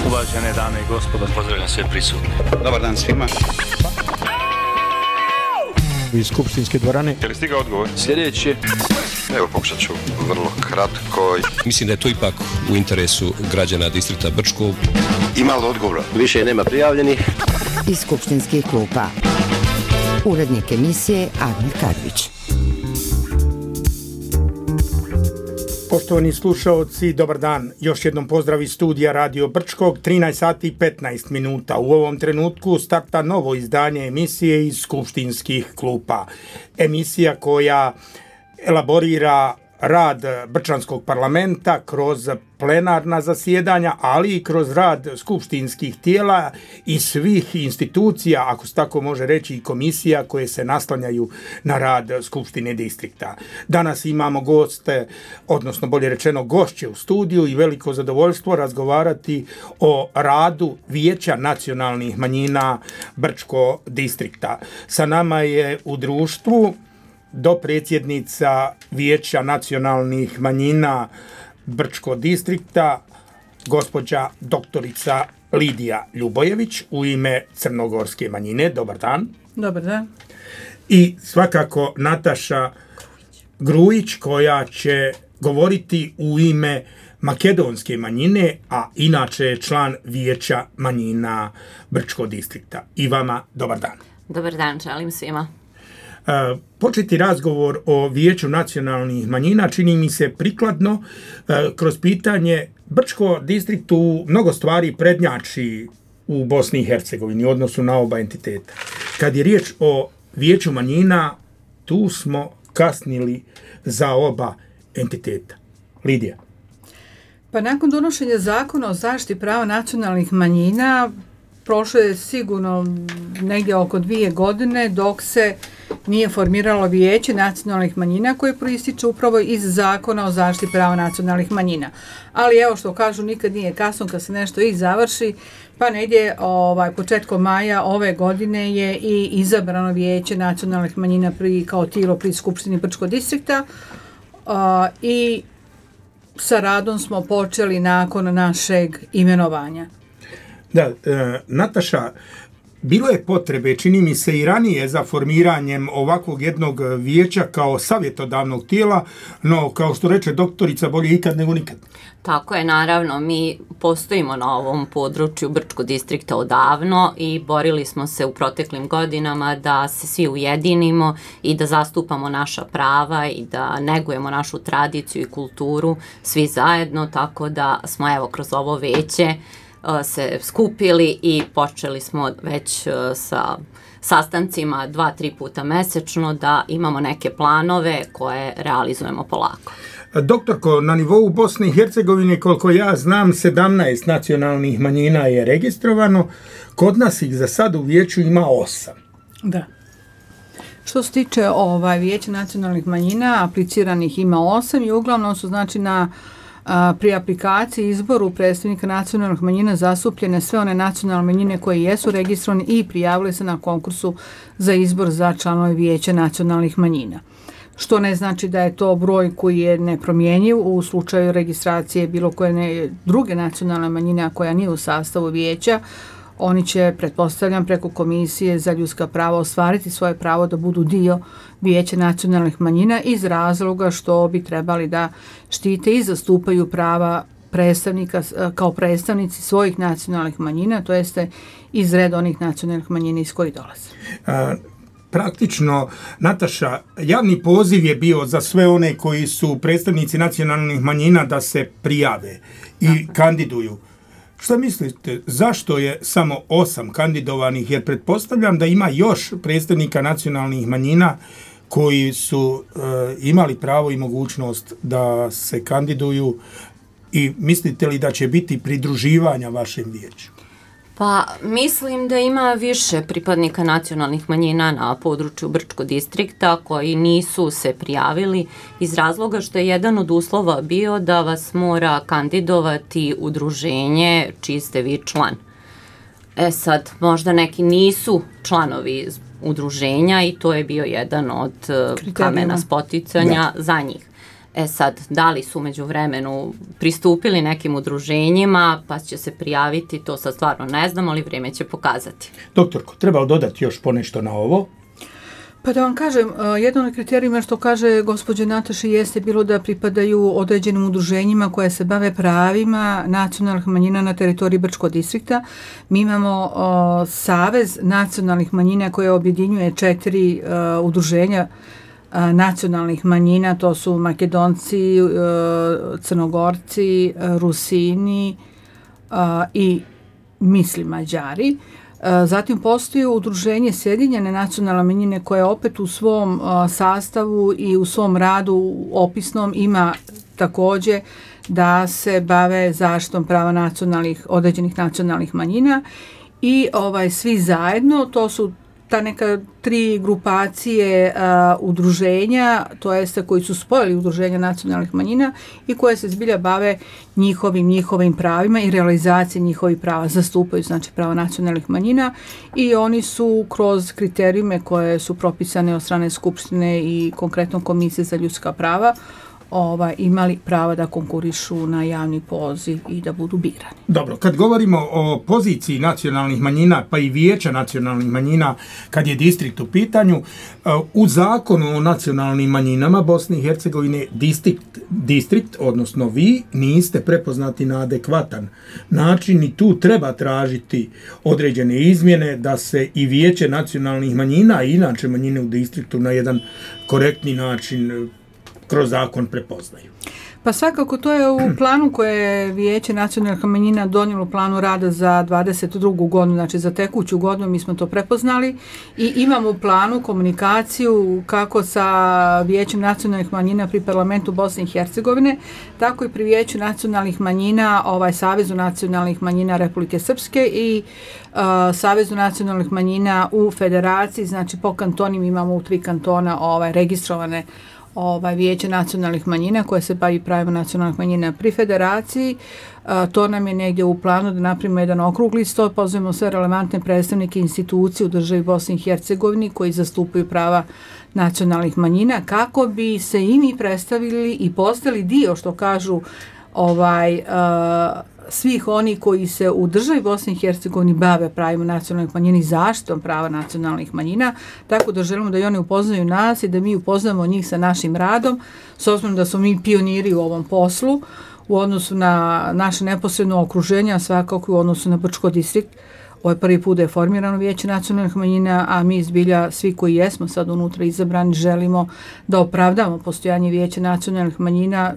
Uvažene dame i gospodo, pozdravljam sve prisutne. Dobar dan svima. Iz skupštinske dvorane. Je li stigao odgovor? Sljedeći. Evo, pokušat ću vrlo kratko. Mislim da je to ipak u interesu građana distrikta Brčko. Ima li odgovora? Više nema prijavljenih. Iz skupštinskih klupa. Urednik emisije Admir Kadrić. Poštovani slušaoci, dobar dan. Još jednom pozdrav iz studija Radio Brčkog, 13 sati i 15 minuta. U ovom trenutku starta novo izdanje emisije iz skupštinskih klupa. Emisija koja elaborira rad Brčanskog parlamenta kroz plenarna zasjedanja, ali i kroz rad skupštinskih tijela i svih institucija, ako se tako može reći, i komisija koje se naslanjaju na rad Skupštine distrikta. Danas imamo goste, odnosno bolje rečeno gošće u studiju i veliko zadovoljstvo razgovarati o radu Vijeća nacionalnih manjina Brčko distrikta. Sa nama je u društvu dopredsjednica Vijeća nacionalnih manjina Brčko distrikta, gospođa doktorica Lidija Ljubojević u ime crnogorske manjine. Dobar dan. Dobar dan. I svakako Nataša Grujić koja će govoriti u ime makedonske manjine, a inače je član Vijeća manjina Brčko distrikta. I vama dobar dan. Dobar dan, želim svima. Početi razgovor o Vijeću nacionalnih manjina čini mi se prikladno kroz pitanje Brčko distriktu mnogo stvari prednjači u Bosni i Hercegovini u odnosu na oba entiteta. Kad je riječ o Vijeću manjina, tu smo kasnili za oba entiteta. Lidija. Pa nakon donošenja zakona o zaštiti prava nacionalnih manjina prošlo je sigurno negdje oko 2 godine dok se nije formiralo Vijeće nacionalnih manjina koje proističe upravo iz zakona o zaštiti prava nacionalnih manjina. Ali evo što kažu, nikad nije kasno kad se nešto i završi, pa negdje početkom maja ove godine je i izabrano Vijeće nacionalnih manjina kao tijelo pri Skupštini Brčkog distrikta i sa radom smo počeli nakon našeg imenovanja. Da, Nataša, bilo je potrebe, čini mi se i ranije, za formiranjem ovakvog jednog vijeća kao savjetodavnog tijela, no kao što reče doktorica, bolje ikad nego nikad. Tako je, naravno, mi postojimo na ovom području Brčkog distrikta odavno i borili smo se u proteklim godinama da se svi ujedinimo i da zastupamo naša prava i da negujemo našu tradiciju i kulturu svi zajedno, tako da smo evo kroz ovo vijeće se skupili i počeli smo već sa sastancima 2-3 puta mesečno da imamo neke planove koje realizujemo polako. Doktorko, na nivou Bosne i Hercegovine, koliko ja znam, 17 nacionalnih manjina je registrovano, kod nas ih za sad u vijeću ima 8. Da. Što se tiče Vijeća nacionalnih manjina, apliciranih ima 8 i uglavnom su pri aplikaciji izboru predstavnika nacionalnih manjina zastupljene sve one nacionalne manjine koje jesu registrovane i prijavile se na konkursu za izbor za članove Vijeća nacionalnih manjina. Što ne znači da je to broj koji je nepromjenjiv u slučaju registracije bilo koje druge nacionalne manjine koja nije u sastavu vijeća. Oni će, pretpostavljam, preko Komisije za ljudska prava ostvariti svoje pravo da budu dio Vijeća nacionalnih manjina iz razloga što bi trebali da štite i zastupaju prava predstavnika kao predstavnici svojih nacionalnih manjina, to jeste iz reda onih nacionalnih manjina iz kojih dolaze. Praktično, Nataša, javni poziv je bio za sve one koji su predstavnici nacionalnih manjina da se prijave i kandiduju. Šta mislite, zašto je samo 8 kandidovanih? Jer pretpostavljam da ima još predstavnika nacionalnih manjina koji su imali pravo i mogućnost da se kandiduju i mislite li da će biti pridruživanja vašem vijeću? Pa mislim da ima više pripadnika nacionalnih manjina na području Brčkog distrikta koji nisu se prijavili iz razloga što je jedan od uslova bio da vas mora kandidovati udruženje čiji ste vi član. Sad, možda neki nisu članovi udruženja i to je bio jedan od kamena spoticanja za njih. Sad, da li su među vremenu pristupili nekim udruženjima, pa će se prijaviti, to sad stvarno ne znam, ali vrijeme će pokazati. Doktorko, treba li dodati još ponešto na ovo? Pa da vam kažem, jedan od kriterijuma što kaže gospođa Nataša jeste bilo da pripadaju određenim udruženjima koje se bave pravima nacionalnih manjina na teritoriji Brčkog distrikta. Mi imamo Savez nacionalnih manjina koje objedinjuje 4 udruženja nacionalnih manjina, to su Makedonci, Crnogorci, Rusini i mislim Mađari. Zatim postoji udruženje Sjedinjene nacionalne manjine koje opet u svom sastavu i u svom radu opisnom ima također da se bave zaštitom prava određenih nacionalnih manjina i svi zajedno, to su ta neka 3 grupacije udruženja, to jeste koji su spojili udruženja nacionalnih manjina i koje se zbilja bave njihovim pravima i realizacije njihovih prava, zastupaju znači prava nacionalnih manjina i oni su kroz kriterijume koje su propisane od strane Skupštine i konkretno Komisije za ljudska prava imali prava da konkurišu na javni poziv i da budu birani. Dobro, kad govorimo o poziciji nacionalnih manjina, pa i vijeća nacionalnih manjina, kad je distrikt u pitanju, u zakonu o nacionalnim manjinama Bosne i Hercegovine distrikt, odnosno vi, niste prepoznati na adekvatan način i tu treba tražiti određene izmjene da se i vijeće nacionalnih manjina i inače manjine u distriktu na jedan korektni način kroz zakon prepoznaju. Pa svakako to je u planu koje je Vijeće nacionalnih manjina donijelo u planu rada za 22. godinu, znači za tekuću godinu mi smo to prepoznali i imamo u planu komunikaciju kako sa Vijećem nacionalnih manjina pri parlamentu Bosne i Hercegovine, tako i pri Vijeću nacionalnih manjina, Savezu nacionalnih manjina Republike Srpske i Savezu nacionalnih manjina u federaciji, znači po kantonima imamo u 3 kantona registrovane Vijeće nacionalnih manjina koje se bavi pravima nacionalnih manjina pri federaciji. To nam je negdje u planu da napravimo jedan okrugli stol, pozovemo sve relevantne predstavnike institucije u državi Bosni i Hercegovini koji zastupaju prava nacionalnih manjina kako bi se i mi predstavili i postali dio, što kažu svih oni koji se u državi Bosne i Hercegovini bave pravima nacionalnih manjina i zaštitom prava nacionalnih manjina, tako da želimo da i oni upoznaju nas i da mi upoznamo njih sa našim radom, s obzirom da smo mi pioniri u ovom poslu u odnosu na naše neposredno okruženje, a svakako u odnosu na Brčko distrikt. Ovo je prvi put da je formirano Vijeće nacionalnih manjina, a mi zbilja svi koji jesmo sad unutra izabrani želimo da opravdamo postojanje Vijeća nacionalnih manjina.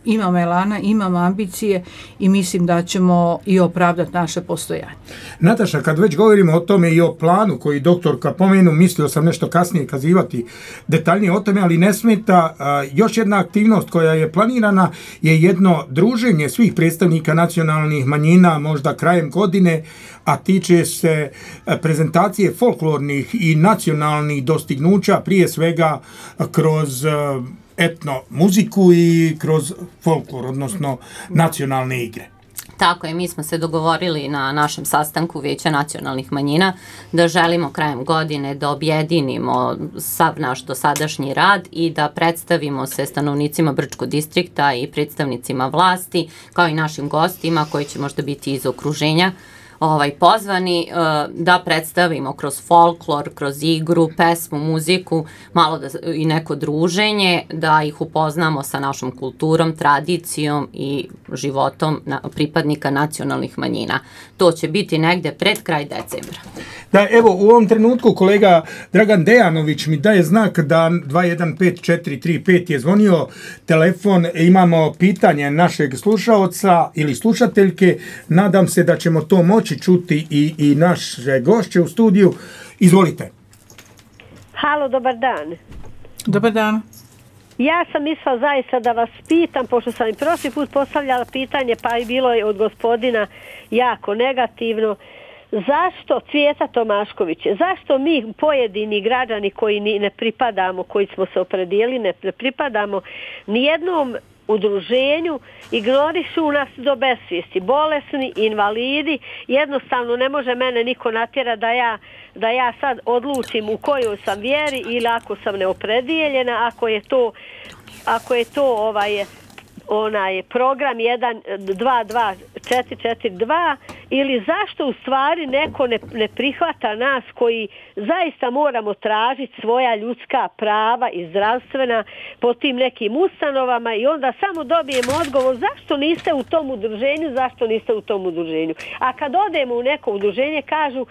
Imamo elana, imamo ambicije i mislim da ćemo i opravdati naše postojanje. Nataša, kad već govorimo o tome i o planu koji doktorka pomenu, mislio sam nešto kasnije kazivati detaljnije o tome, ali ne smeta. Još jedna aktivnost koja je planirana je jedno druženje svih predstavnika nacionalnih manjina možda krajem godine, a tiče se prezentacije folklornih i nacionalnih dostignuća, prije svega kroz etno muziku i kroz folklor, odnosno nacionalne igre. Tako je, mi smo se dogovorili na našem sastanku Vijeća nacionalnih manjina da želimo krajem godine da objedinimo sav naš dosadašnji rad i da predstavimo se stanovnicima Brčkog distrikta i predstavnicima vlasti, kao i našim gostima koji će možda biti iz okruženja pozvani da predstavimo kroz folklor, kroz igru, pesmu, muziku, malo i neko druženje, da ih upoznamo sa našom kulturom, tradicijom i životom pripadnika nacionalnih manjina. To će biti negde pred kraj decembra. Da, evo, u ovom trenutku kolega Dragan Dejanović mi daje znak da 215435 je zvonio telefon. Imamo pitanje našeg slušaoca ili slušateljke. Nadam se da ćemo to moći čuti i naše gošće u studiju. Izvolite. Halo, dobar dan. Dobar dan. Ja sam mislila zaista da vas pitam, pošto sam i prošli put postavljala pitanje, pa i bilo je od gospodina jako negativno. Zašto Cvijeta Tomašković, zašto mi pojedini građani koji ne pripadamo, koji smo se opredijelili, ne pripadamo nijednom udruženju, ignorišu nas do besvijesti, bolesni, invalidi, jednostavno ne može mene niko natjera da ja sad odlučim u kojoj sam vjeri ili ako sam neopredijeljena, ako je to onaj program 1-2-2-4-4-2 ili zašto u stvari neko ne prihvata nas koji zaista moramo tražiti svoja ljudska prava i zdravstvena po tim nekim ustanovama i onda samo dobijemo odgovor zašto niste u tom udruženju. A kad odemo u neko udruženje kažu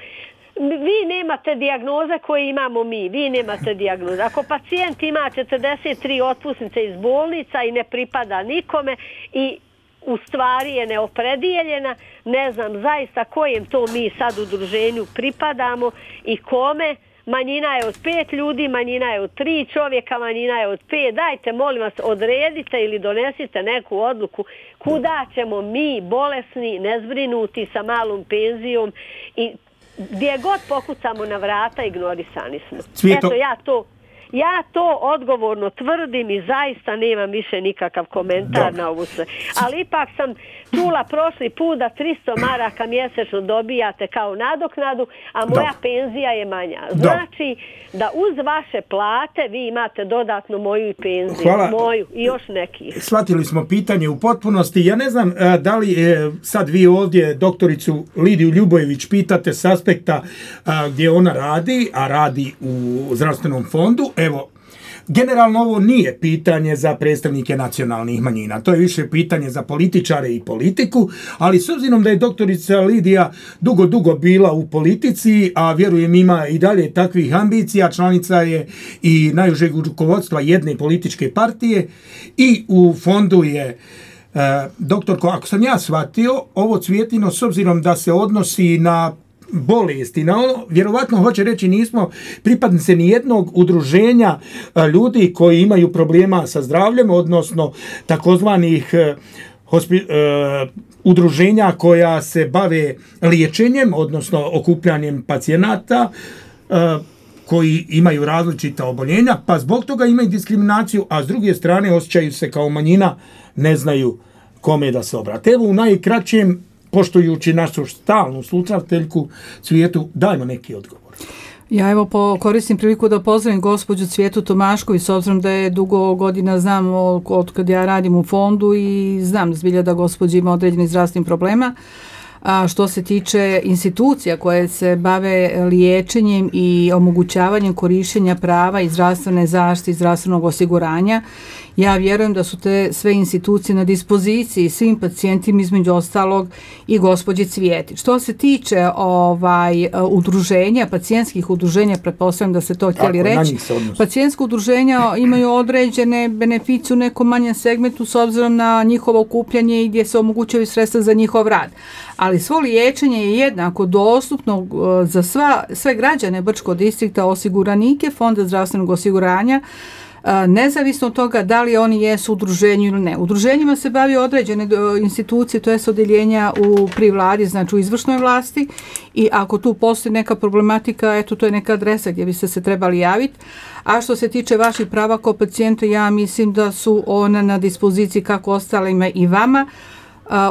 vi nemate dijagnoze koje imamo mi, vi nemate dijagnoze. Ako pacijent ima 43 otpusnice iz bolnica i ne pripada nikome i u stvari je neopredijeljena, ne znam zaista kojem to mi sad udruženju pripadamo i kome. Manjina je od 5 ljudi, manjina je od 3 čovjeka, manjina je od 5. Dajte, molim vas, odredite ili donesite neku odluku kuda ćemo mi, bolesni, nezbrinuti, sa malom penzijom i gdje god pokucamo na vrata, ignorisani smo. Cvijeto. Eto, ja to odgovorno tvrdim i zaista nemam više nikakav komentar na ovu sve. Ali ipak sam čula prošli put da 300 maraka mjesečno dobijate kao nadoknadu, a moja penzija je manja. Znači da uz vaše plate vi imate dodatno moju penziju. Hvala. Moju i još nekih. Shvatili smo pitanje u potpunosti. Ja ne znam da li sad vi ovdje doktoricu Lidiju Ljubojević pitate s aspekta gdje ona radi, a radi u zdravstvenom fondu. Evo, generalno ovo nije pitanje za predstavnike nacionalnih manjina, to je više pitanje za političare i politiku, ali s obzirom da je doktorica Lidija dugo bila u politici, a vjerujem ima i dalje takvih ambicija, članica je i najužeg rukovodstva jedne političke partije i u fondu je doktorko, ako sam ja shvatio, ovo Cvjetino s obzirom da se odnosi na bolesti, na ono, vjerovatno hoće reći nismo pripadnice ni jednog udruženja ljudi koji imaju problema sa zdravljem, odnosno takozvanih udruženja koja se bave liječenjem, odnosno okupljanjem pacijenata koji imaju različita oboljenja, pa zbog toga imaju diskriminaciju, a s druge strane osjećaju se kao manjina, ne znaju kome da se obrate. Evo u najkraćem, poštujući našu stalnu slušateljku Cvijetu, dajmo neki odgovor. Ja evo koristim priliku da pozdravim gospođu Cvijetu Tomašković, s obzirom da je dugo godina znam od kad ja radim u fondu i znam zbilja da gospođa ima određenih zdravstvenih problema. A što se tiče institucija koje se bave liječenjem i omogućavanjem korištenja prava i zdravstvene zaštite i zdravstvenog osiguranja, ja vjerujem da su te sve institucije na dispoziciji svim pacijentima, između ostalog i gospođi Cvijeti. Što se tiče udruženja, pacijentskih udruženja, pretpostavljam da ste to htjeli reći, pacijentska udruženja imaju određene beneficije u nekom manjem segmentu s obzirom na njihovo okupljanje i gdje se omogućuju sredstva za njihov rad. Ali svo liječenje je jednako dostupno za sve građane Brčkog distrikta, osiguranike Fonda zdravstvenog osiguranja, nezavisno od toga da li oni jesu u udruženju ili ne. Udruženjima se bavi određene institucije, to je odjeljenja pri vladi, znači u izvršnoj vlasti, i ako tu postoji neka problematika, eto, to je neka adresa gdje bi se trebali javiti. A što se tiče vaših prava kao pacijenta, ja mislim da su ona na dispoziciji kako ostalima i vama,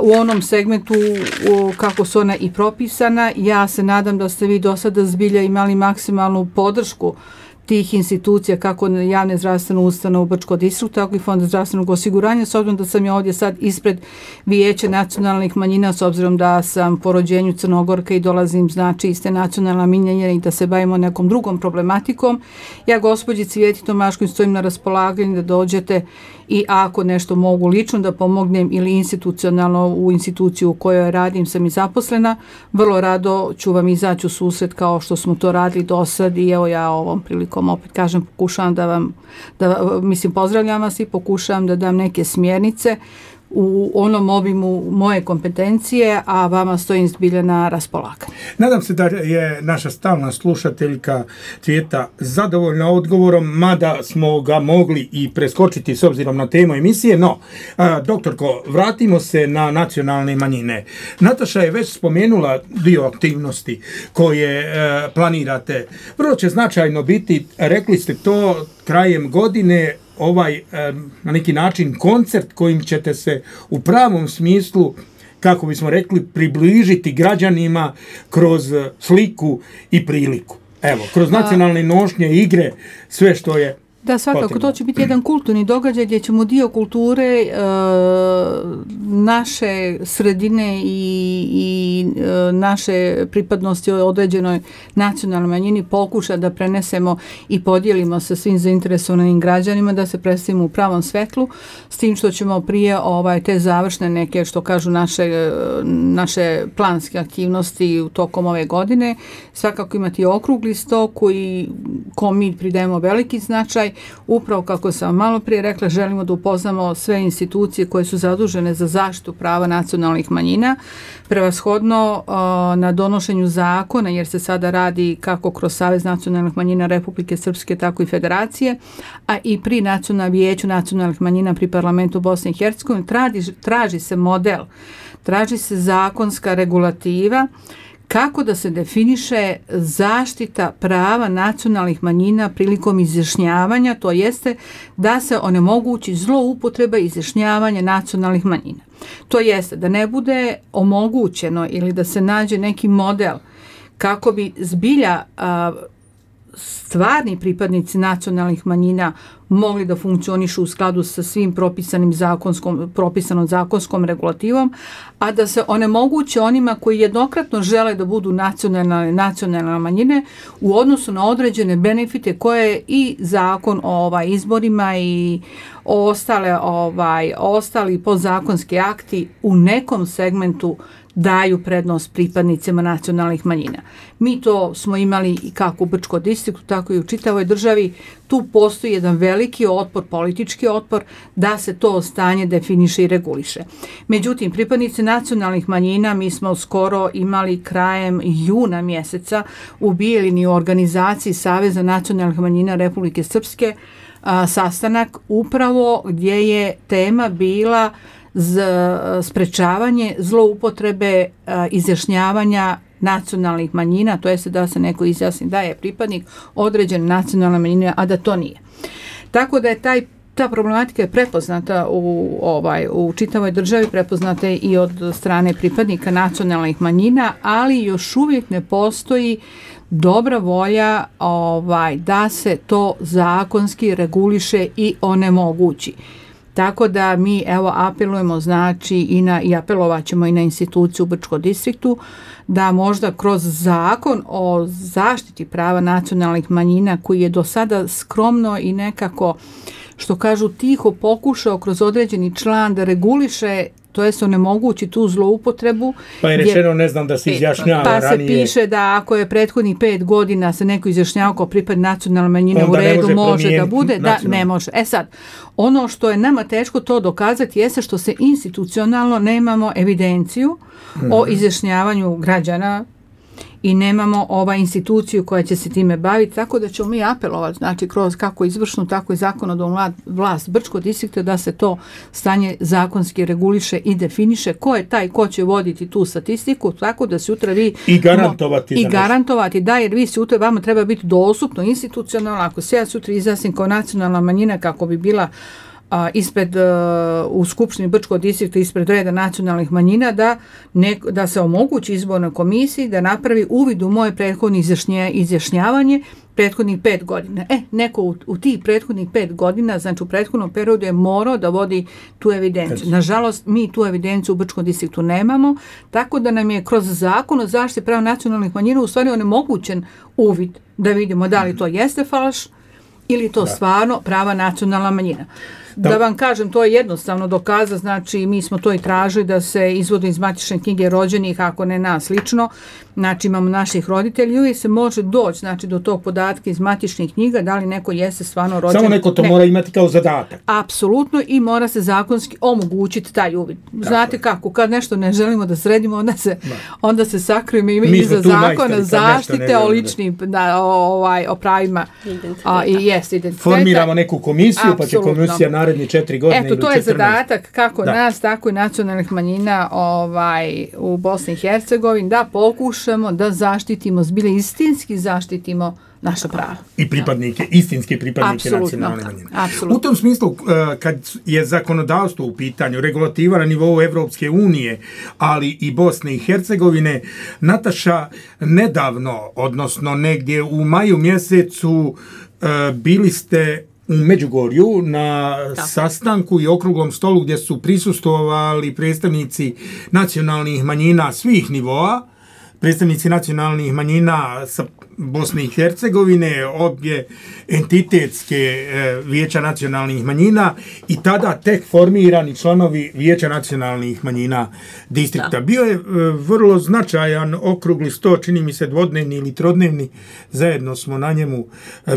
u onom segmentu kako su ona i propisana. Ja se nadam da ste vi do sada zbilja imali maksimalnu podršku tih institucija, kako javne zdravstvene ustanove u Brčkom distriktu, tako i Fonda zdravstvenog osiguranja, s obzirom da sam ja ovdje sad ispred Vijeća nacionalnih manjina, s obzirom da sam po rođenju Crnogorka i dolazim, znači, iste nacionalna manjina i da se bavimo nekom drugom problematikom. Ja gospođi Cvijeti Tomašković stojim na raspolaganju da dođete i ako nešto mogu lično da pomognem ili institucionalno u instituciju u kojoj radim, sam i zaposlena, vrlo rado ću vam izaći u susret kao što smo to radili do sad i evo ja ovom prilikom opet kažem, pokušavam pozdravljam vas i pokušavam da dam neke smjernice u onom obimu moje kompetencije, a vama stojim zbilja na raspolaganju. Nadam se da je naša stalna slušateljka Cvijeta zadovoljna odgovorom, mada smo ga mogli i preskočiti s obzirom na temu emisije. No, doktorko, vratimo se na nacionalne manjine. Nataša je već spomenula dio aktivnosti koje planirate. Vrlo će značajno biti, rekli ste to, krajem godine na neki način koncert kojim ćete se u pravom smislu, kako bismo rekli, približiti građanima kroz sliku i priliku. Evo, kroz nacionalne nošnje, igre, sve što je da, svakako, potrebno. To će biti jedan kulturni događaj gdje ćemo dio kulture naše sredine i naše pripadnosti određenoj nacionalnoj manjini pokušati da prenesemo i podijelimo sa svim zainteresovanim građanima, da se predstavimo u pravom svetlu, s tim što ćemo prije te završne neke, što kažu naše planske aktivnosti u tokom ove godine, svakako imati okrugli sto kom mi pridajemo veliki značaj. Upravo kako sam malo prije rekla, želimo da upoznamo sve institucije koje su zadužene za zaštitu prava nacionalnih manjina, prevashodno na donošenju zakona, jer se sada radi kako kroz Savez nacionalnih manjina Republike Srpske, tako i Federacije, a i pri Vijeću nacionalnih manjina pri parlamentu Bosne i Hercegovine traži se model, traži se zakonska regulativa kako da se definiše zaštita prava nacionalnih manjina prilikom izjašnjavanja, to jeste da se onemogući zloupotreba izjašnjavanja nacionalnih manjina. To jeste da ne bude omogućeno ili da se nađe neki model kako bi zbilja stvarni pripadnici nacionalnih manjina mogli da funkcionišu u skladu sa svim propisanom zakonskom regulativom, a da se onemoguće onima koji jednokratno žele da budu nacionalne manjine u odnosu na određene benefite koje i zakon o izborima i ostali podzakonski akti u nekom segmentu daju prednost pripadnicima nacionalnih manjina. Mi to smo imali i kako u Brčkom distriktu, tako i u čitavoj državi. Tu postoji jedan veliki otpor, politički otpor, da se to stanje definiše i reguliše. Međutim, pripadnici nacionalnih manjina, mi smo skoro imali krajem juna mjeseca u Bijeljini u organizaciji Saveza nacionalnih manjina Republike Srpske sastanak upravo gdje je tema bila sprečavanje zloupotrebe izjašnjavanja nacionalnih manjina, to jest da se neko izjasni da je pripadnik određene nacionalne manjine, a da to nije. Tako da je ta problematika je prepoznata u čitavoj državi, prepoznata je i od strane pripadnika nacionalnih manjina, ali još uvijek ne postoji dobra volja da se to zakonski reguliše i onemogući. Tako da mi apelujemo i apelovat ćemo i na instituciju u Brčkom distriktu da možda kroz zakon o zaštiti prava nacionalnih manjina koji je do sada skromno i nekako, što kažu, tiho pokušao kroz određeni član da reguliše, to jest onemogući tu zloupotrebu. Pa je rečeno, ne znam, da se izjašnjava ranije. Pa se piše da ako je prethodnih 5 godina se neko izjašnjava kao pripadnik nacionalne manjine u redu, može da bude, da ne može. Sad, ono što je nama teško to dokazati jeste što se institucionalno nemamo evidenciju o izjašnjavanju građana i nemamo instituciju koja će se time baviti, tako da ćemo mi apelovati, znači kroz kako izvršnu, tako i zakonodavnu vlast Brčkog distrikta da se to stanje zakonski reguliše i definiše ko je taj ko će voditi tu statistiku, tako da sutra vi garantovati da, jer vi sutra vama treba biti dostupno institucionalno, ako se ja sutra izjasnim kao nacionalna manjina kako bi bila u Skupštini Brčkog distrikta ispred reda nacionalnih manjina, da se omogući izbornoj komisiji da napravi uvid u moje prethodno izjašnjavanje prethodnih 5 godina. Neko u tih prethodnih 5 godina, znači u prethodnom periodu je morao da vodi tu evidenciju. Nažalost, mi tu evidenciju u Brčkom distriktu nemamo, tako da nam je kroz zakon o zaštiti prava nacionalnih manjina u stvari onemogućen uvid da vidimo da li to jeste falš ili to stvarno prava nacionalna manjina. Da vam kažem, to je jednostavno dokaza, znači mi smo to i tražili da se izvode iz matične knjige rođenih, ako ne nas lično, znači imamo naših roditelja i uvijek se može doći, znači do tog podatka iz matičnih knjiga, da li neko jeste stvarno rođen. Samo neko to mora imati kao zadatak. Apsolutno, i mora se zakonski omogućiti taj uvid. Znate kako, kad nešto ne želimo da sredimo, onda se sakrijemo iza zakona zaštite o ličnim, o pravima i identitet. Formiramo neku komisiju, pa će komisija naredne 4 godine. Eto, to je zadatak kako nas, tako i nacionalnih manjina u Bosni i Hercegovini, da pokušamo da zaštitimo, zbilje istinski zaštitimo naša prava. I pripadnike, istinske pripadnike nacionalne manjine. Apsolutno. U tom smislu, kad je zakonodavstvo u pitanju, regulativa na nivou Evropske unije, ali i Bosne i Hercegovine, Nataša, nedavno, odnosno negdje u maju mjesecu, bili ste u Međugorju na sastanku i okruglom stolu gdje su prisustvovali predstavnici nacionalnih manjina svih nivoa, predstavnici nacionalnih manjina sa Bosne i Hercegovine, obje entitetske vijeća nacionalnih manjina i tada tek formirani članovi vijeća nacionalnih manjina distrikta. Bio je vrlo značajan okrugli sto, čini mi se dvodnevni ili trodnevni, zajedno smo na njemu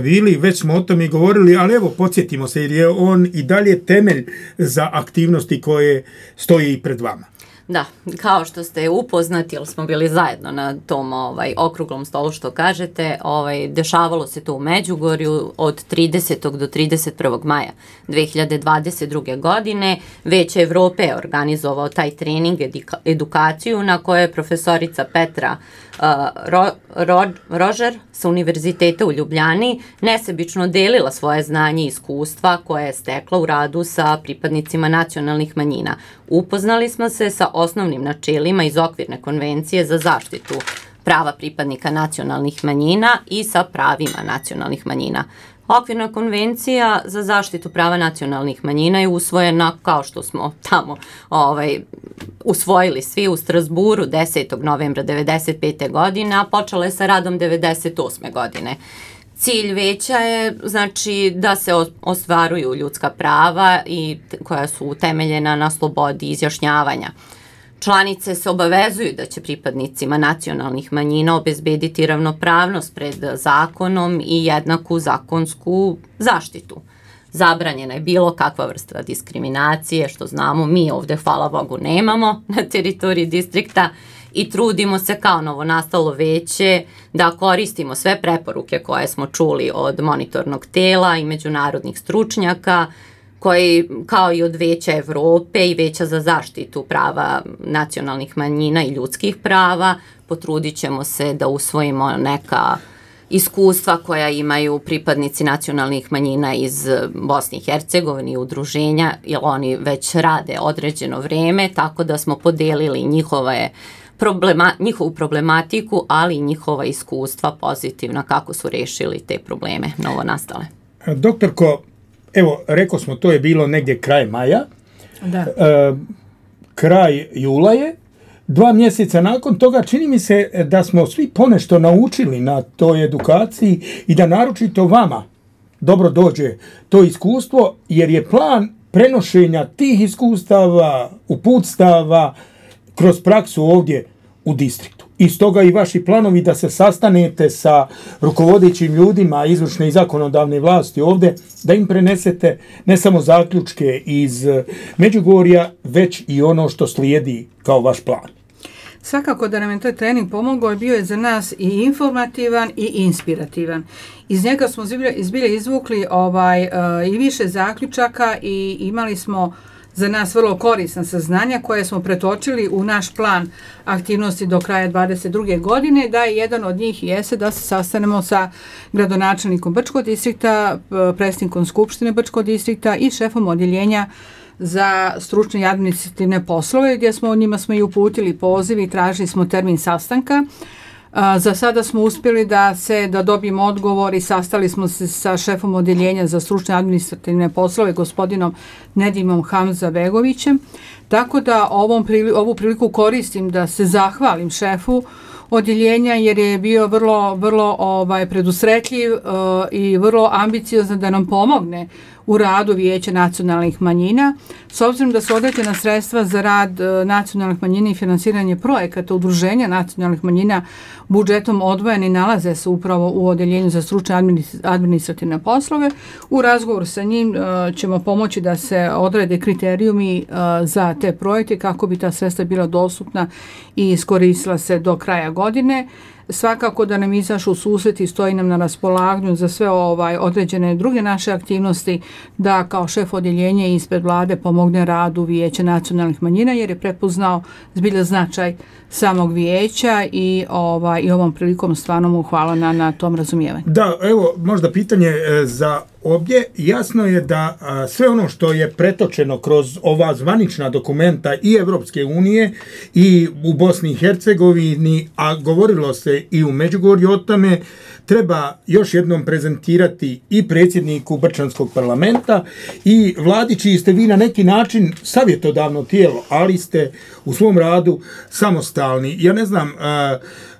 bili, već smo o tome govorili, ali evo podsjetimo se jer je on i dalje temelj za aktivnosti koje stoje i pred vama. Da, kao što ste upoznati, jer smo bili zajedno na tom okruglom stolu što kažete, dešavalo se to u Međugorju od 30. do 31. maja 2022. godine. Vijeće Evrope je organizovao taj trening, edukaciju na kojoj je profesorica Petra Rožer sa Univerziteta u Ljubljani nesebično delila svoje znanje i iskustva koje je stekla u radu sa pripadnicima nacionalnih manjina. Upoznali smo se sa osnovnim načelima iz okvirne konvencije za zaštitu prava pripadnika nacionalnih manjina i sa pravima nacionalnih manjina. Okvirna konvencija za zaštitu prava nacionalnih manjina je usvojena, kao što smo tamo usvojili svi u Strasburu 10. novembra 1995. godine, a počela je sa radom 1998. godine. Cilj veća je da se ostvaruju ljudska prava i koja su utemeljena na slobodi izjašnjavanja. Članice se obavezuju da će pripadnicima nacionalnih manjina obezbediti ravnopravnost pred zakonom i jednaku zakonsku zaštitu. Zabranjena je bilo kakva vrsta diskriminacije, što znamo mi ovdje, hvala Bogu, nemamo na teritoriji distrikta i trudimo se kao novonastalo veće da koristimo sve preporuke koje smo čuli od monitornog tela i međunarodnih stručnjaka, koji, kao i od Vijeća Evrope i Vijeća za zaštitu prava nacionalnih manjina i ljudskih prava, potrudit ćemo se da usvojimo neka iskustva koja imaju pripadnici nacionalnih manjina iz Bosne i Hercegovine i udruženja, jer oni već rade određeno vrijeme, tako da smo podelili njihovu problematiku, ali i njihova iskustva pozitivna kako su rešili te probleme novonastale. Doktorko, evo, rekao smo, to je bilo negdje kraj maja, kraj jula je, 2 mjeseca nakon toga čini mi se da smo svi ponešto naučili na toj edukaciji i da naročito vama dobro dođe to iskustvo, jer je plan prenošenja tih iskustava, uputstava kroz praksu ovdje u distriktu. I stoga i vaši planovi da se sastanete sa rukovodećim ljudima izvršne i zakonodavne vlasti ovdje, da im prenesete ne samo zaključke iz Međugorja, već i ono što slijedi kao vaš plan. Svakako da nam je taj trening pomogao i bio je za nas i informativan i inspirativan. Iz njega smo zbilje izvukli i više zaključaka i imali smo za nas vrlo korisna saznanja koje smo pretočili u naš plan aktivnosti do kraja 2022. godine, da je jedan od njih jeste da se sastanemo sa gradonačelnikom Brčkog distrikta, predsjednikom Skupštine Brčkog distrikta i šefom odjeljenja za stručne i administrativne poslove, gdje njima smo i uputili poziv i tražili smo termin sastanka. Za sada smo uspjeli da dobijemo odgovor i sastali smo se sa šefom odjeljenja za stručne administrativne poslove, gospodinom Nedimom Hamzabegovićem. Tako da ovu priliku koristim da se zahvalim šefu odjeljenja, jer je bio vrlo predusretljiv i vrlo ambiciozan da nam pomogne u radu Vijeća nacionalnih manjina. S obzirom da su određena sredstva za rad nacionalnih manjina i finansiranje projekata udruženja nacionalnih manjina budžetom odvojeni, nalaze se upravo u odjeljenju za stručne administrativne poslove. U razgovoru sa njim ćemo pomoći da se odrede kriterijumi za te projekte kako bi ta sredstva bila dostupna i iskoristila se do kraja godine. svakako da nam izašu u susret i stoji nam na raspolaganju za sve određene druge naše aktivnosti, da kao šef odjeljenja ispred vlade pomogne radu Vijeća nacionalnih manjina, jer je prepoznao zbilja značaj samog vijeća i ovom prilikom stvarno mu hvala na tom razumijevanju. Da, evo možda pitanje za obje. Jasno je da sve ono što je pretočeno kroz ova zvanična dokumenta i Evropske unije i u Bosni i Hercegovini, a govorilo se i u Međugorju o tome, treba još jednom prezentirati i predsjedniku Brčanskog parlamenta i vladi, čiji ste vi na neki način savjetodavno tijelo, ali ste u svom radu samostalni. Ja ne znam,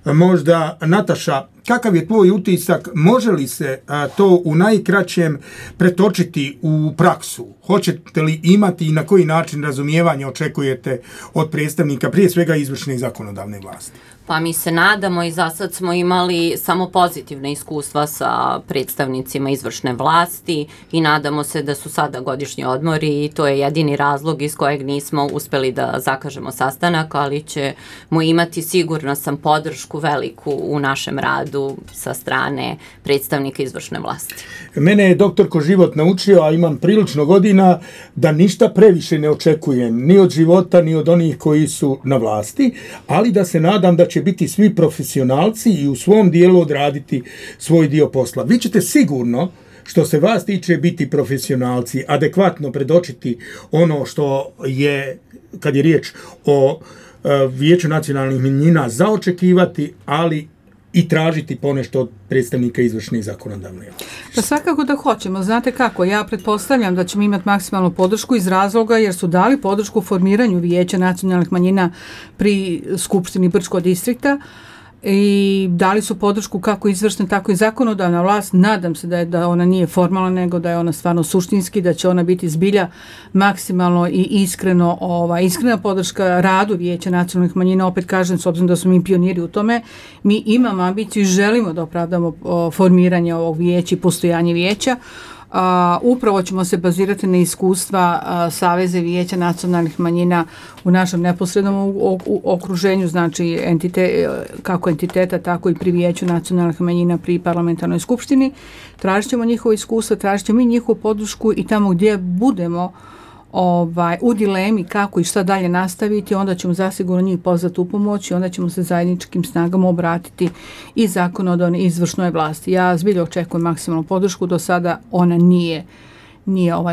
možda Nataša, kakav je tvoj utisak, može li se to u najkraćem pretočiti u praksu? Hoćete li imati i na koji način razumijevanje očekujete od predstavnika, prije svega izvršne i zakonodavne vlasti? Pa mi se nadamo i za sad smo imali samo pozitivne iskustva sa predstavnicima izvršne vlasti i nadamo se da su sada godišnji odmori i to je jedini razlog iz kojeg nismo uspeli da zakažemo sastanak, ali ćemo imati, sigurno sam, podršku veliku u našem radu sa strane predstavnika izvršne vlasti. Mene je doktorko život naučio, a imam prilično godina, da ništa previše ne očekujem, ni od života, ni od onih koji su na vlasti, ali da se nadam da će biti svi profesionalci i u svom dijelu odraditi svoj dio posla. Vi ćete sigurno, što se vas tiče, biti profesionalci, adekvatno predočiti ono što je, kad je riječ o Vijeću nacionalnih manjina, za očekivati, ali i tražiti ponešto od predstavnika izvršne i zakonodavne. Pa svakako da hoćemo. Znate kako, ja pretpostavljam da ćemo imati maksimalnu podršku iz razloga jer su dali podršku formiranju Vijeća nacionalnih manjina pri Skupštini Brčkog distrikta i dali su podršku kako izvršna, tako i zakonodavna vlast. Nadam se da ona nije formalna, nego da je ona stvarno suštinski, da će ona biti zbilja maksimalno i iskrena podrška radu Vijeća nacionalnih manjina. Opet kažem, s obzirom da smo mi pioniri u tome, mi imamo ambiciju i želimo da opravdamo formiranje ovog vijeća i postojanje vijeća. Upravo ćemo se bazirati na iskustva Saveze Vijeća nacionalnih manjina u našem neposrednom okruženju, znači kako entiteta, tako i pri Vijeću nacionalnih manjina pri parlamentarnoj skupštini. Tražit ćemo njihovo iskustvo, tražit ćemo i njihovu podršku i tamo gdje budemo u dilemi kako i šta dalje nastaviti, onda ćemo zasigurno njih pozvati u pomoć i onda ćemo se zajedničkim snagama obratiti i zakonodavnoj i izvršnoj vlasti. Ja zbilja očekujem maksimalnu podršku, do sada ona nije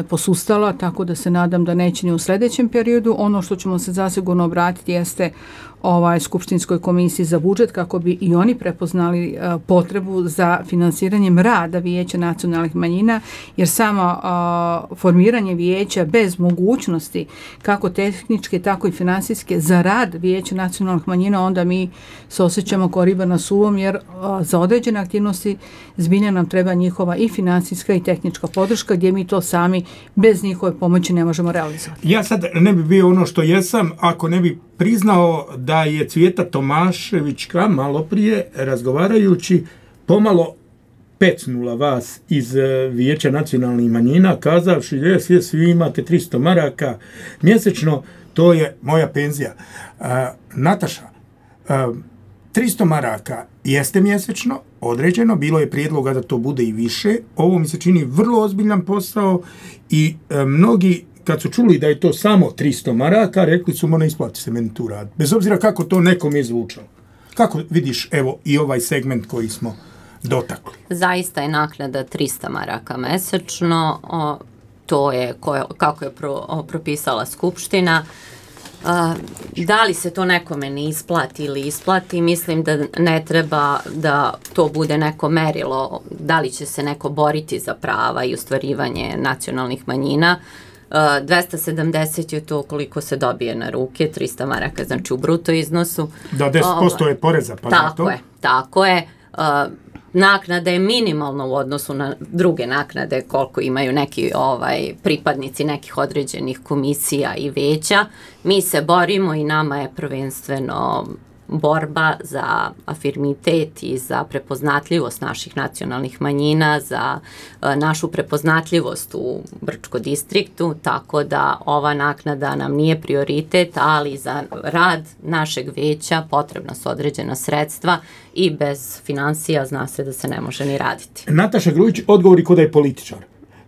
posustala, tako da se nadam da neće ni u sljedećem periodu. Ono što ćemo se zasigurno obratiti jeste Skupštinskoj komisiji za budžet kako bi i oni prepoznali potrebu za finansiranjem rada Vijeća nacionalnih manjina, jer samo formiranje vijeća bez mogućnosti kako tehničke tako i finansijske za rad Vijeća nacionalnih manjina, onda mi se osjećamo kao riba na suvom, jer za određene aktivnosti zbilja nam treba njihova i finansijska i tehnička podrška gdje mi to sami bez njihove pomoći ne možemo realizovati. Ja sad ne bi bio ono što jesam ako ne bi priznao da je Cvijeta Tomaševićka malo prije razgovarajući pomalo pecnula vas iz Vijeća nacionalnih manjina, kazavši svi imate 300 maraka mjesečno, to je moja penzija. Nataša, 300 maraka jeste mjesečno, određeno, bilo je prijedloga da to bude i više. Ovo mi se čini vrlo ozbiljan posao i mnogi kad su čuli da je to samo 300 maraka, rekli su ne isplati se meni tu rad. Bez obzira kako to nekom je zvučalo. Kako vidiš evo i ovaj segment koji smo dotakli? Zaista je naknada 300 maraka mesečno. To je kako je propisala Skupština. Da li se to nekome ne isplati ili isplati, mislim da ne treba da to bude neko merilo, da li će se neko boriti za prava i ostvarivanje nacionalnih manjina. 270 je to koliko se dobije na ruke, 300 maraka, znači u bruto iznosu. Da, 10% je poreza. Pa tako je. Naknada je minimalna u odnosu na druge naknade koliko imaju neki pripadnici nekih određenih komisija i veća. Mi se borimo i nama je prvenstveno borba za afirmitet i za prepoznatljivost naših nacionalnih manjina, za našu prepoznatljivost u Brčko distriktu, tako da ova naknada nam nije prioritet, ali za rad našeg veća potrebna su određena sredstva i bez finansija zna se da se ne može ni raditi. Nataša Grujić, odgovori ko da je političar.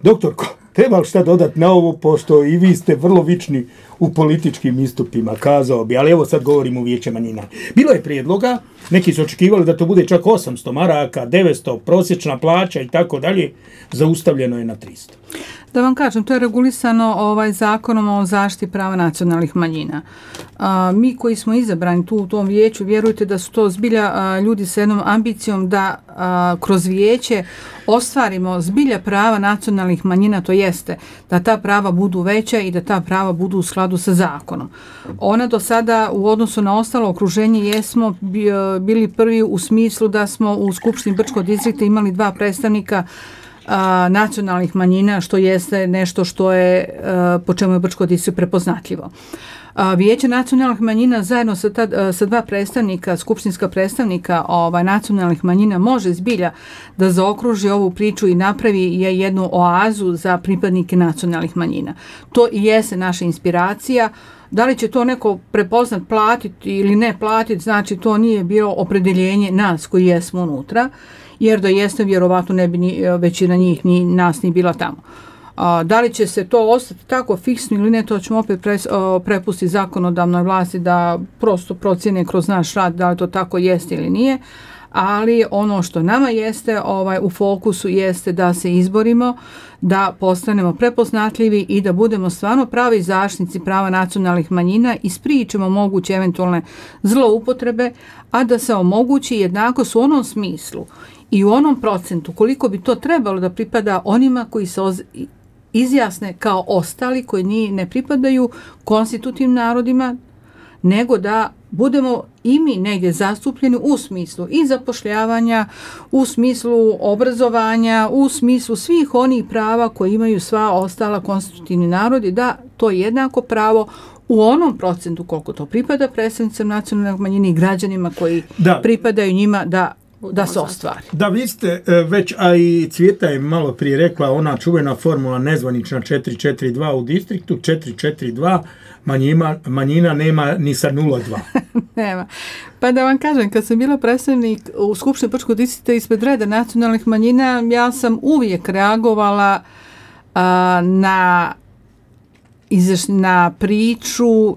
Doktorko, treba li šta dodati na ovo, pošto i vi ste vrlo vični u političkim istupima, kazao bi, ali evo sad govorimo o Vijeće manjina. Bilo je prijedloga, neki su očekivali da to bude čak 800 maraka, 900, prosječna plaća i tako dalje, zaustavljeno je na 300. Da vam kažem, to je regulisano zakonom o zaštiti prava nacionalnih manjina. Mi koji smo izabrani tu u tom vijeću, vjerujte da su to zbilja ljudi sa jednom ambicijom da kroz vijeće ostvarimo zbilja prava nacionalnih manjina, to jeste da ta prava budu veća i da ta prava budu u skladu sa zakonom. Ona do sada u odnosu na ostalo okruženje jesmo bili prvi u smislu da smo u Skupštini Brčkog distrikta imali 2 predstavnika nacionalnih manjina, što jeste nešto što je po čemu je Brčko distrikt prepoznatljivo. Vijeće nacionalnih manjina zajedno sa 2 predstavnika, skupštinska predstavnika nacionalnih manjina može zbilja da zaokruži ovu priču i napravi jednu oazu za pripadnike nacionalnih manjina. To i jeste naša inspiracija. Da li će to neko prepoznat, platiti ili ne platiti, znači to nije bilo opredeljenje nas koji jesmo unutra, jer da jeste, vjerovatno ne bi većina njih ni nas ni bila tamo. Da li će se to ostati tako fiksno ili ne, to ćemo opet prepustiti zakonodavnoj vlasti da prosto procjene kroz naš rad da li to tako jeste ili nije, ali ono što nama jeste u fokusu jeste da se izborimo, da postanemo prepoznatljivi i da budemo stvarno pravi zaštitnici prava nacionalnih manjina i spriječimo moguće eventualne zloupotrebe, a da se omogući jednakost u onom smislu i u onom procentu koliko bi to trebalo da pripada onima koji se izjasne kao ostali, koji ne pripadaju konstitutivnim narodima, nego da budemo i mi negdje zastupljeni u smislu i zapošljavanja, u smislu obrazovanja, u smislu svih onih prava koje imaju sva ostala konstitutivni narodi, da to jednako pravo u onom procentu koliko to pripada predstavnicima nacionalnog manjine i građanima koji pripadaju njima da se ostvari. Da, vi ste već, a i Cvjeta je malo prije rekla, ona čuvena formula nezvanična 4-4-2 u distriktu, 4-4-2, manjina nema ni sa 0-2. Nema. Pa da vam kažem, kad sam bila predstavnik u Skupštini Brčkog distrikta ispred reda nacionalnih manjina, ja sam uvijek reagovala na priču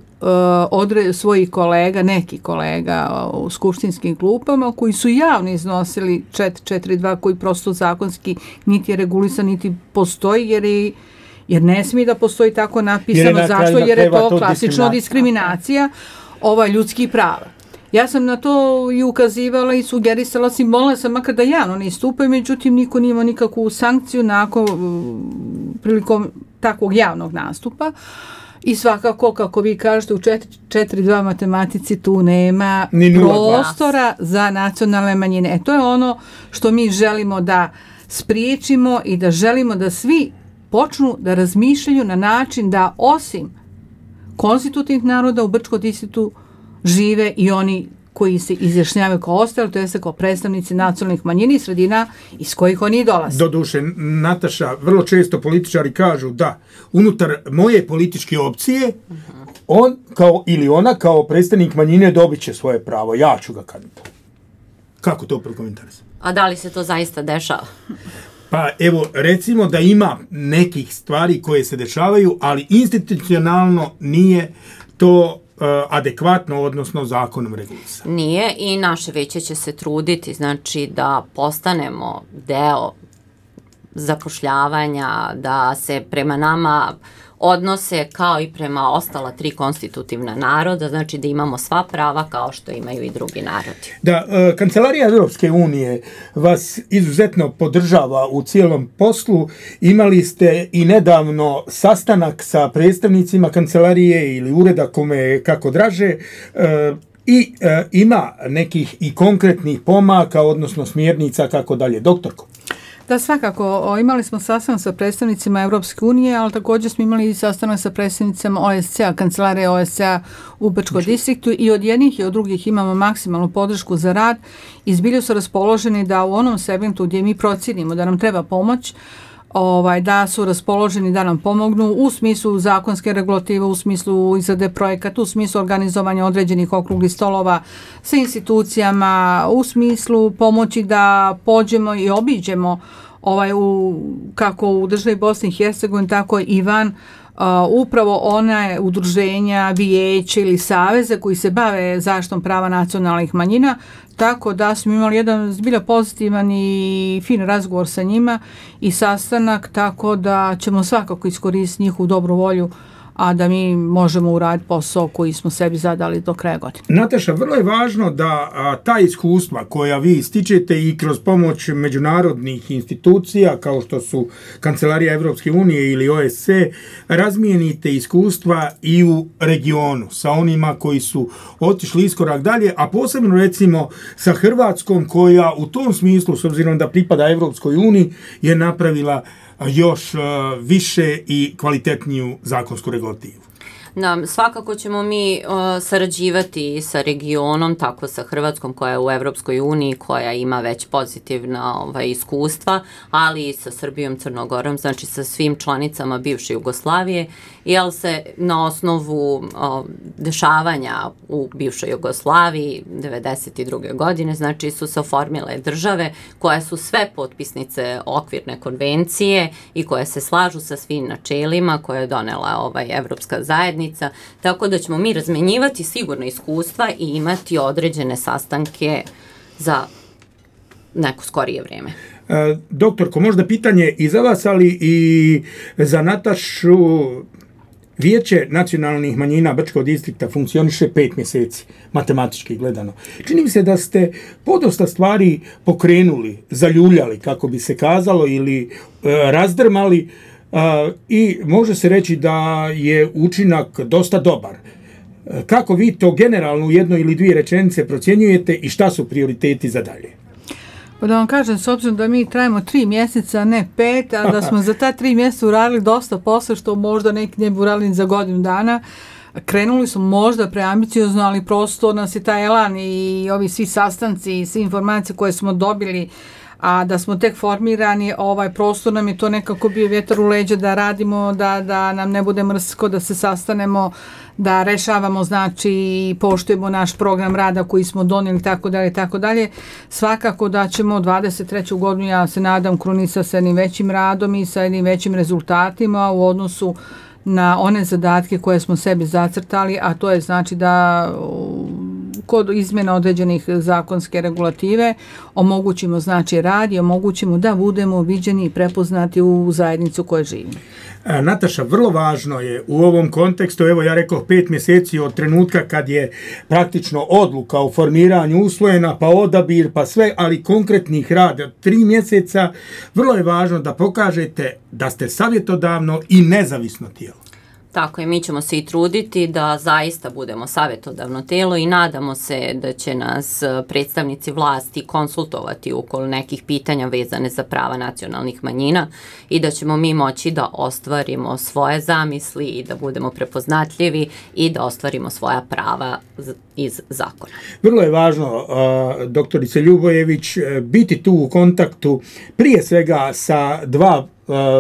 svojih kolega, nekih kolega u skupštinskim klupama koji su javno iznosili 4-4-2 koji prosto zakonski niti je regulisan, niti postoji jer ne smije da postoji tako napisano. Zašto? Jer je to klasično diskriminacija ljudskih prava. Ja sam na to i ukazivala i sugerisala sam, molila sam makar da javno ne istupaju, međutim niko nije imao nikakvu sankciju prilikom takvog javnog nastupa. I svakako, kako vi kažete, u 4-2 matematici tu nema prostora za nacionalne manjine. To je ono što mi želimo da spriječimo i da želimo da svi počnu da razmišljaju na način da osim konstitutivnih naroda u Brčkom distriktu žive i oni koji se izjašnjavaju kao ostali, to jest kao predstavnici nacionalnih manjina i sredina iz kojih oni dolaze. Doduše, Nataša, vrlo često političari kažu da unutar moje političke opcije on ili ona kao predstavnik manjine dobit će svoje pravo, ja ću ga kandidirati. Kako to prokomentarisati? A da li se to zaista dešava? Pa evo, recimo da ima nekih stvari koje se dešavaju, ali institucionalno nije to adekvatno, odnosno zakonom regulisano. Nije, i naše veće će se truditi, znači da postanemo deo zapošljavanja, da se prema nama odnose kao i prema ostala 3 konstitutivna naroda, znači da imamo sva prava kao što imaju i drugi narodi. Da, Kancelarija Europske unije vas izuzetno podržava u cijelom poslu. Imali ste i nedavno sastanak sa predstavnicima kancelarije ili ureda, kome kako draže, i ima nekih i konkretnih pomaka, odnosno smjernica kako dalje. Doktorko? Da, svakako. Imali smo sastanak sa predstavnicima Evropske unije, ali također smo imali i sastanak sa predstavnicama OSCE-a, kancelarije OSCE-a u Brčkom distriktu i od jednih i od drugih imamo maksimalnu podršku za rad i zbilju su raspoloženi da u onom segmentu gdje mi procijenimo da nam treba pomoć, da su raspoloženi da nam pomognu u smislu zakonske regulative, u smislu izrade projekata, u smislu organizovanja određenih okruglih stolova sa institucijama, u smislu pomoći da pođemo i obiđemo kako u državi Bosne i Hercegovine, tako i van upravo one udruženja, vijeće ili saveze koji se bave zaštitom prava nacionalnih manjina, tako da smo imali jedan zbilja pozitivan i fin razgovor sa njima i sastanak, tako da ćemo svakako iskoristiti njihovu dobru volju, a da mi možemo uraditi posao koji smo sebi zadali do kraja godine. Nataša, vrlo je važno da ta iskustva koja vi stičete i kroz pomoć međunarodnih institucija kao što su Kancelarija Evropske unije ili OSCE, razmijenite iskustva i u regionu sa onima koji su otišli iskorak dalje, a posebno recimo sa Hrvatskom koja u tom smislu, s obzirom da pripada Evropskoj uniji, je napravila još više i kvalitetniju zakonsku regulativu. Da, svakako ćemo mi sarađivati sa regionom, tako sa Hrvatskom koja je u Evropskoj uniji, koja ima već pozitivna iskustva, ali i sa Srbijom, Crnogorom, znači sa svim članicama bivše Jugoslavije, jer se na osnovu dešavanja u bivšoj Jugoslaviji 1992. godine, znači su se oformile države koje su sve potpisnice okvirne konvencije i koje se slažu sa svim načelima koje je donela Evropska zajednica. Tako da ćemo mi razmenjivati sigurno iskustva i imati određene sastanke za neko skorije vrijeme. Doktorko, možda pitanje i za vas, ali i za Natašu. Vijeće nacionalnih manjina Brčkog distrikta funkcioniše 5 mjeseci, matematički gledano. Čini mi se da ste podosta stvari pokrenuli, zaljuljali, kako bi se kazalo, ili razdrmali, i može se reći da je učinak dosta dobar. Kako vi to generalno u jednoj ili dvije rečenice procjenjujete i šta su prioriteti za dalje? Pa da vam kažem, s obzirom da mi trajimo 3 mjeseca, ne 5, a da smo za ta 3 mjeseca uradili dosta posla, što možda neki ne bi uradili za godinu dana, krenuli smo možda preambiciozno, ali prosto nas je taj elan i ovi svi sastanci i sve informacije koje smo dobili, a da smo tek formirani, prostor nam je to nekako bio vjetar u leđa da radimo, da nam ne bude mrsko, da se sastanemo, da rešavamo, znači poštujemo naš program rada koji smo donijeli, tako dalje, tako dalje. Svakako da ćemo 23. godinu, ja se nadam, krunisa sa jednim većim radom i sa jednim većim rezultatima u odnosu na one zadatke koje smo sebi zacrtali, a to je znači da kod izmjena određenih zakonske regulative omogućimo znači rad i omogućimo da budemo viđeni i prepoznati u zajednicu koje živimo. Nataša, vrlo važno je u ovom kontekstu, evo ja rekao 5 mjeseci od trenutka kad je praktično odluka o formiranju usvojena, pa odabir, pa sve, ali konkretnih rada 3 mjeseca, vrlo je važno da pokažete da ste savjetodavno i nezavisno tijelo. Tako je, mi ćemo se i truditi da zaista budemo savjetodavno tijelo i nadamo se da će nas predstavnici vlasti konsultovati oko nekih pitanja vezane za prava nacionalnih manjina i da ćemo mi moći da ostvarimo svoje zamisli i da budemo prepoznatljivi i da ostvarimo svoja prava iz zakona. Vrlo je važno, doktorice Ljubojević, biti tu u kontaktu prije svega sa 2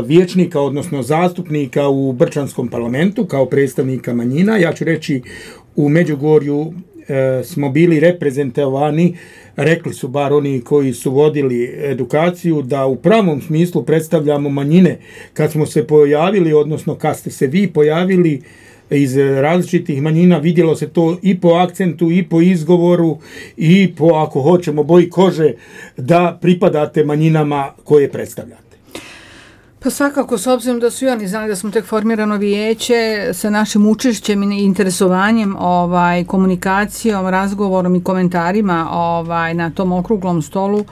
vijećnika, odnosno zastupnika u Brčanskom parlamentu kao predstavnika manjina. Ja ću reći, u Međugorju smo bili reprezentovani, rekli su bar oni koji su vodili edukaciju, da u pravom smislu predstavljamo manjine. Kad smo se pojavili, odnosno kad ste se vi pojavili iz različitih manjina, vidjelo se to i po akcentu, i po izgovoru, i po, ako hoćemo, boji kože, da pripadate manjinama koje predstavljate. Pa svakako, s obzirom da su i oni znali da smo tek formirano vijeće, sa našim učešćem i interesovanjem, komunikacijom, razgovorom i komentarima na tom okruglom stolu,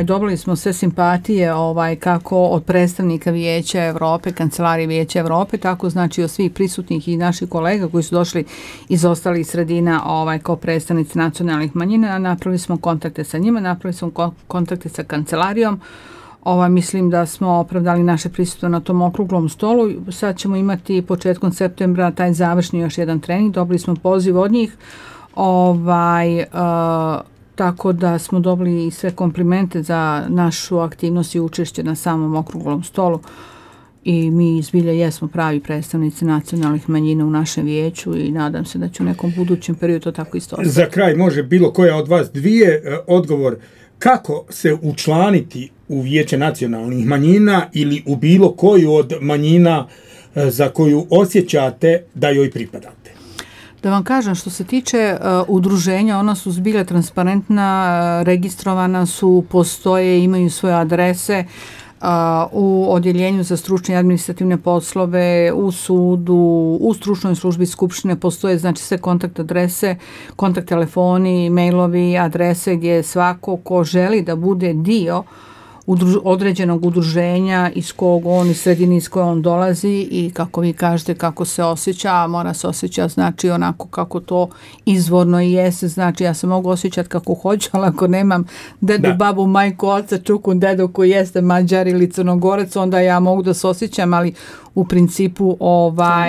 dobili smo sve simpatije kako od predstavnika Vijeća Evrope, Kancelarije Vijeća Evrope, tako znači od svih prisutnih i naših kolega koji su došli iz ostalih sredina kao predstavnici nacionalnih manjina. Napravili smo kontakte sa njima, napravili smo kontakte sa Kancelarijom, Mislim da smo opravdali naše prisustvo na tom okruglom stolu. Sad ćemo imati početkom septembra taj završni još jedan trening. Dobili smo poziv od njih. Tako da smo dobili sve komplimente za našu aktivnost i učešće na samom okruglom stolu. I mi zbilja jesmo pravi predstavnici nacionalnih manjina u našem vijeću i nadam se da će u nekom budućem periodu to tako isto ostati. Za kraj može bilo koja od vas dvije odgovor. Kako se učlaniti u Vijeće nacionalnih manjina ili u bilo koju od manjina za koju osjećate da joj pripadate? Da vam kažem, što se tiče udruženja, ona su zbilja transparentna, registrovana su, postoje, imaju svoje adrese u odjeljenju za stručne i administrativne poslove, u sudu, u stručnoj službi skupštine postoje znači sve kontakt adrese, kontakt telefoni, mailovi, adrese gdje svako ko želi da bude dio određenog udruženja iz kog on, iz sredine iz koje on dolazi i kako vi kažete kako se osjeća, mora se osjećati znači onako kako to izvorno i jeste, znači ja se mogu osjećati kako hoću, ali ako nemam dedu, babu, majku, oca, čuku, dedu koji jeste Mađar ili Crnogorac, onda ja mogu da se osjećam, ali u principu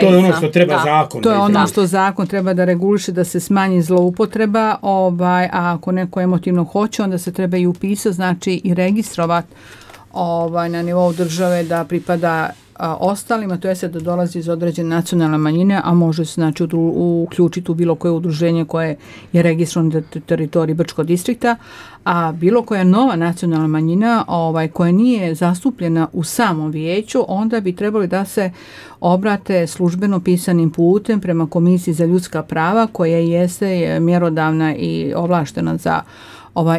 to je ono što treba zakon. To je ono što zakon treba da reguliše, da se smanji zloupotreba, a ako neko emotivno hoće, onda se treba i upisati, znači i registrovati na nivou države da pripada ostalima, to je da dolazi iz određene nacionalne manjine, a može se znači uključiti u bilo koje udruženje koje je registrovano na teritoriji Brčkog distrikta, a bilo koja nova nacionalna manjina koja nije zastupljena u samom vijeću, onda bi trebali da se obrate službeno pisanim putem prema Komisiji za ljudska prava koja jeste mjerodavna i ovlaštena za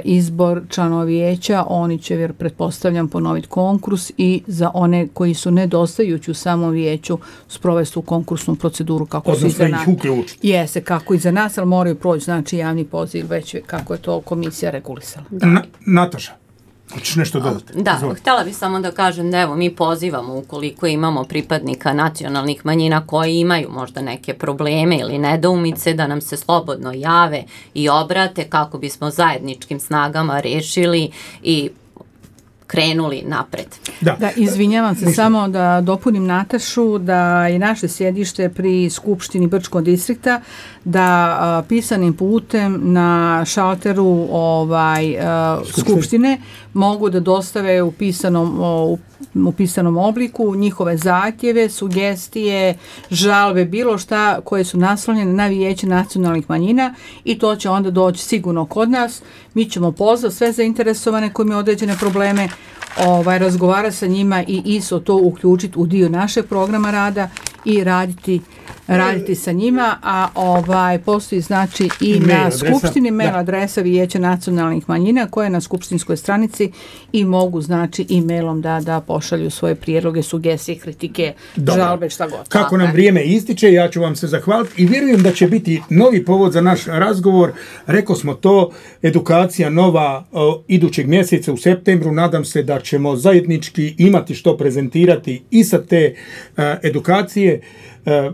izbor članova vijeća. Oni će, pretpostavljam, ponoviti konkurs i za one koji su nedostajući u samom vijeću sprovesti tu konkursnu proceduru kako su i za nas. Jeste, kako i za nas, ali moraju proći znači javni poziv već kako je to komisija regulisala. Nataša, hoćeš nešto dodati? Da, htjela bih samo da kažem da evo mi pozivamo ukoliko imamo pripadnika nacionalnih manjina koji imaju možda neke probleme ili nedoumice da nam se slobodno jave i obrate kako bismo zajedničkim snagama rešili i krenuli napred. Da, izvinjavam se, samo da dopunim Natašu da je naše sjedište pri Skupštini Brčkog distrikta, da pisanim putem na šalteru Skupštine mogu da dostave u pisanom obliku njihove zahtjeve, sugestije, žalbe, bilo šta koje su naslonjene na Vijeće nacionalnih manjina i to će onda doći sigurno kod nas. Mi ćemo pozvati sve zainteresovane koji imaju određene probleme, razgovarati sa njima i isto to uključiti u dio našeg programa rada i raditi sa njima, a postoji znači i na skupštini mail adresa Vijeća nacionalnih manjina koja je na skupštinskoj stranici i mogu znači e-mailom da pošalju svoje prijedloge, sugestije, kritike, žalbe, šta god. Kako nam vrijeme ističe, ja ću vam se zahvaliti i vjerujem da će biti novi povod za naš razgovor. Rekao smo to, edukacija nova idućeg mjeseca u septembru, nadam se da ćemo zajednički imati što prezentirati i sa te edukacije.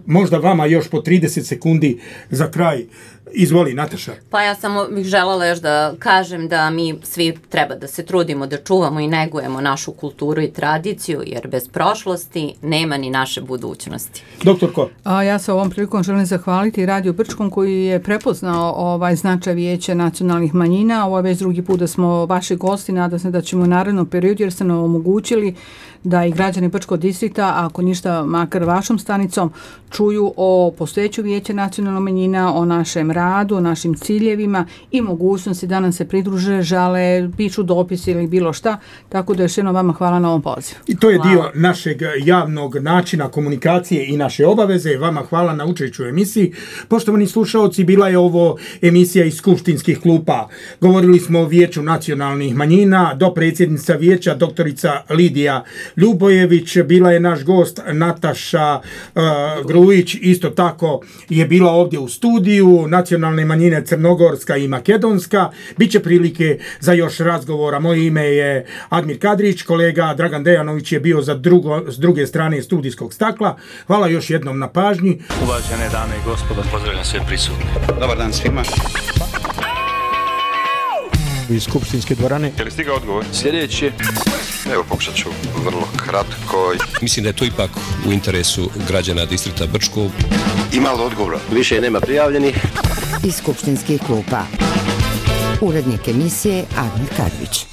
Možda vama još po 30 sekundi za kraj. Izvoli, Nataša. Pa ja samo bih želela još da kažem da mi svi treba da se trudimo da čuvamo i negujemo našu kulturu i tradiciju, jer bez prošlosti nema ni naše budućnosti. Doktor Ko? Ja se ovom prilikom želim zahvaliti Radio Brčkom koji je prepoznao značaj Vijeća nacionalnih manjina. Ovo je već drugi put da smo vaši gosti, nadam se da ćemo u narednom periodu jer ste nam omogućili da i građani Brčkog distrikta, ako ništa makar vašom stanicom, čuju o postojeću Vijeća nacionalnih manjina, o našem radu, o našim ciljevima i mogućnosti da nam se pridruže, žale, pišu dopise ili bilo šta. Tako da još jednom vama hvala na ovom pozivu. I to je dio našeg javnog načina komunikacije i naše obaveze. Vama hvala na učešću u emisiji. Poštovani slušaoci, bila je ovo emisija iz skupštinskih klupa. Govorili smo o Vijeću nacionalnih manjina, dopredsjednica vijeća doktorica Lidija Ljubojević, bila je naš gost Nataša Grujić, isto tako je bila ovdje u studiju, nacionalne manjine Crnogorska i Makedonska. Biće prilike za još razgovora. Moje ime je Admir Kadrić, kolega Dragan Dejanović je bio s druge strane studijskog stakla. Hvala još jednom na pažnji. Uvažene dame i gospodo, pozdravljam sve prisutne. Dobar dan svima. iz skupštinske dvorane. Je li stigao odgovor? Sljedeći. Evo, pokušat ću vrlo kratko. Mislim da je to ipak u interesu građana distrikta Brčko. Ima li odgovora? Više nema prijavljenih. Iz skupštinskih klupa. Urednik emisije Admir Kadrić.